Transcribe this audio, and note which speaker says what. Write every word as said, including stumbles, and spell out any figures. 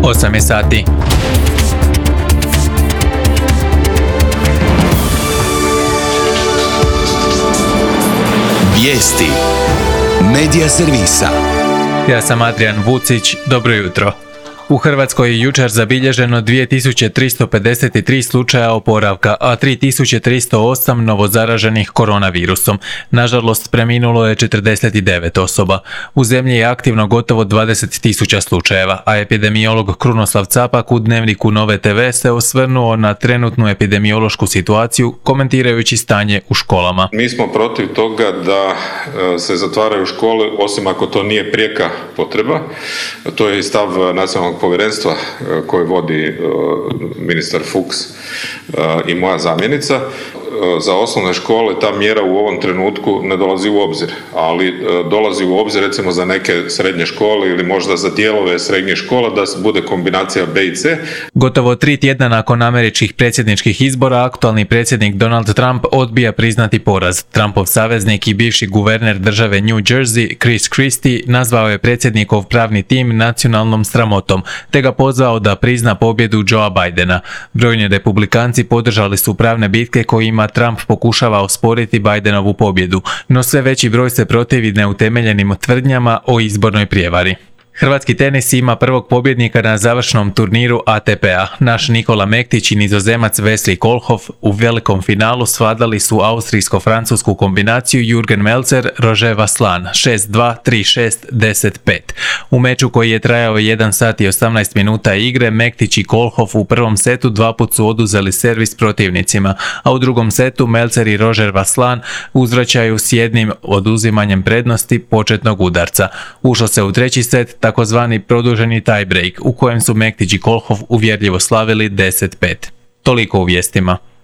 Speaker 1: osam je sati.
Speaker 2: Vijesti Medija servisa.
Speaker 1: Ja sam Adrian Vucić, dobro jutro. U Hrvatskoj je jučer zabilježeno dvije tisuće tristo pedeset tri slučaja oporavka, a tri tisuće tristo osam novozaraženih koronavirusom. Nažalost, preminulo je četrdeset devet osoba. U zemlji je aktivno gotovo dvadeset tisuća slučajeva, a epidemiolog Krunoslav Capak u Dnevniku Nove te ve se osvrnuo na trenutnu epidemiološku situaciju, komentirajući stanje u školama.
Speaker 3: Mi smo protiv toga da se zatvaraju škole, osim ako to nije prijeka potreba. To je i stav nacionalnog povjerenstva koje vodi ministar Fuchs i moja zamjenica. Za osnovne škole ta mjera u ovom trenutku ne dolazi u obzir, ali dolazi u obzir recimo za neke srednje škole ili možda za dijelove srednjih škola da bude kombinacija B i C.
Speaker 1: Gotovo tri tjedna nakon američkih predsjedničkih izbora, aktualni predsjednik Donald Trump odbija priznati poraz. Trumpov saveznik i bivši guverner države New Jersey, Chris Christie, nazvao je predsjednikov pravni tim nacionalnom sramotom, te ga pozvao da prizna pobjedu Joea Bidena. Brojni republikanci podržali su pravne bitke kojima Trump pokušava osporiti Bidenovu pobjedu, no sve veći broj se protivi neutemeljenim tvrdnjama o izbornoj prijevari. Hrvatski tenis ima prvog pobjednika na završnom turniru A T P-a. Naš Nikola Mektić i Nizozemac Wesley Kohlhoff u velikom finalu svladali su austrijsko-francusku kombinaciju Jürgen Melzer – Roger Vasselin šest dva, tri šest, deset pet. U meču koji je trajao jedan sat i osamnaest minuta igre, Mektić i Kohlhoff u prvom setu dva put su oduzeli servis protivnicima, a u drugom setu Melzer i Roger Vasselin uzvraćaju s jednim oduzimanjem prednosti početnog udarca. Ušlo se u treći set, takozvani produženi tie break, u kojem su Mektić i Kohlhoff uvjerljivo slavili deset pet. Toliko u vijestima.